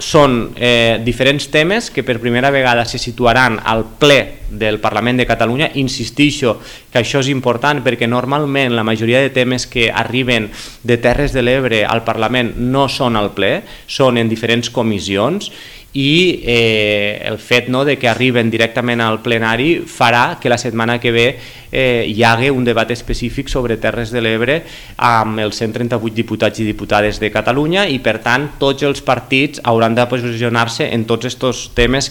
són diferents temes que per primera vegada se situaran al ple del Parlament de Catalunya. Insistixo que això és important perquè normalment la majoria de temes que arriben de Terres de l'Ebre al Parlament no són al ple, són en diferents comissions, i el fet de que arriben directament al plenari farà que la setmana que ve hi hagi un debat específic sobre Terres de l'Ebre amb els 138 diputats i diputades de Catalunya, i per tant tots els partits hauran de posicionar-se en tots aquests temes